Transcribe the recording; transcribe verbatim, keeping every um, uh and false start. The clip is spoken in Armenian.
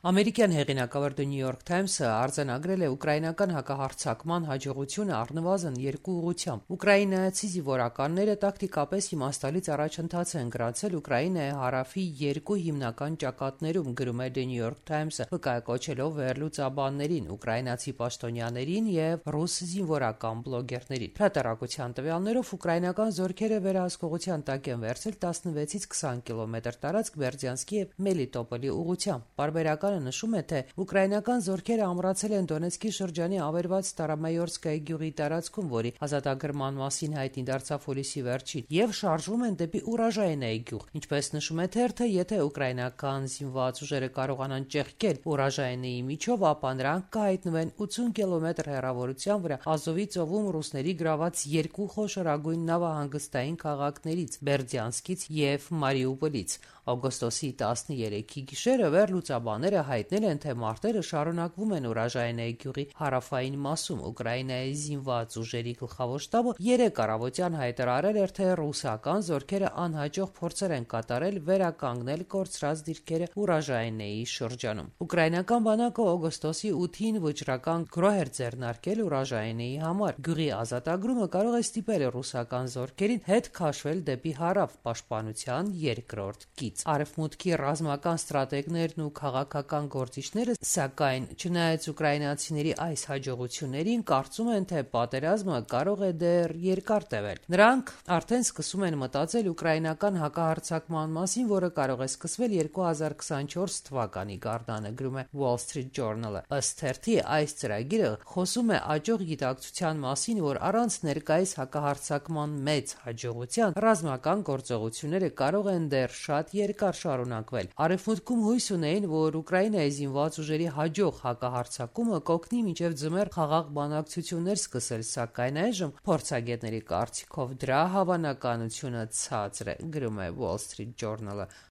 Ամերիկյան հեղինակավոր The New York Times-ը արձանագրել է ուկրաինական հակահարձակման հաջողությունը առնվազն երկու ուղղությամբ։ Ուկրաինացի զինվորականները տակտիկապես իմաստալից առաջընթաց են գրանցել Ուկրաինայի հարավի երկու հիմնական ճակատներում, գրում է The New York Times-ը, վկայակոչելով վերլուծաբաններին, ուկրաինացի պաշտոնյաներին եւ ռուս զինվորական բլոգերներին։ Հրատարակության տվյալներով ուկրաինական զորքերը վերահսկողության տակ են վերցել տասնվեցից քսան կիլոմետր տարածք Բերդյանսկի եւ Մելիտոպոլի ուղղությամբ։ Բարբերականը նշում է, թե ուկրաինական զորքերը ամրացել են Դոնեցկի շրջանի ավերված Ստարոմայորսկայի գյուղի տարածքում, որի ազատագրման մասին հայտնի դարձավ հուլիսի վերջին, եւ շարժվում են դեպի Ուրաժայինայի գյուղ։ Ինչպես նշում է թերթը, եթե ուկրաինական զինված ուժերը կարողանան ճեղքել Ուրաժայինայի միջով, ապա նրանք կհայտնվեն ութուն կիլոմետր հեռավորության վրա Ազովի ծովում ռուսների գրաված երկու խոշորագույն նավահանգստային քաղաքներից՝ Բերդյանսկից եւ Մարիուպոլից։ Օգոստոսի տասներեքի գիշերը վերլուծաբանները հայտնել են, թե մարտերը շարունակվում են Ուրաժայինայի գյուղի հարավային մասում։ Ուկրաինայի զինված ուժերի գլխավոր շտաբը երեկ առավոտյան հայտարարել էր, թե ռուսական զորքերը անհաջող փորձեր են կատարել վերականգնել կորցրած դիրքերը Ուրաժայինայի շրջանում։ Ուկրաինական բանակը օգոստոսի ութին վճռական գրոհ էր ձեռնարկել Ուրաժայինայի համար։ Գյուղի ազատագրումը կարող է ստիպել ռուսական զորքերին հետ քաշվել դեպի հարավ՝ պաշտպանության երկրորդ կից։ Արևմուտքի ռազմական ստրատեգներն ու քաղաքական գործիչները, սակայն, չնայած ուկրաինացիների այս հաջողություններին, կարծում են, թե պատերազմը կարող է դեռ երկար տևել։ Նրանք արդեն սկսում են մտածել ուկրաինական հակահարձակման մասին, որը կարող է սկսվել երկու հազար քսանչորս թվականի գարնանը, գրում է Wall Street Journal-ը։ Ըստ թերթի, այս ծրագիրը խոսում է աճող գիտակցության մասին, որ առանց ներկայիս հակահարձակման մեծ հաջողության ռազմական գործողությունները կարող են դեռ շատ երկար շարունակվել։ Արևմուտքում հույս ունեին, որ Ուկրաինայի զինված ուժերի հաջող հակահարձակումը կօգնի մինչև ձմեռ խաղաղ բանակցություններ սկսել, սակայն այժմ փորձագետների կարծիքով դրա հավանականությունը ցածր է, գրում է Wall Street Journal-ը։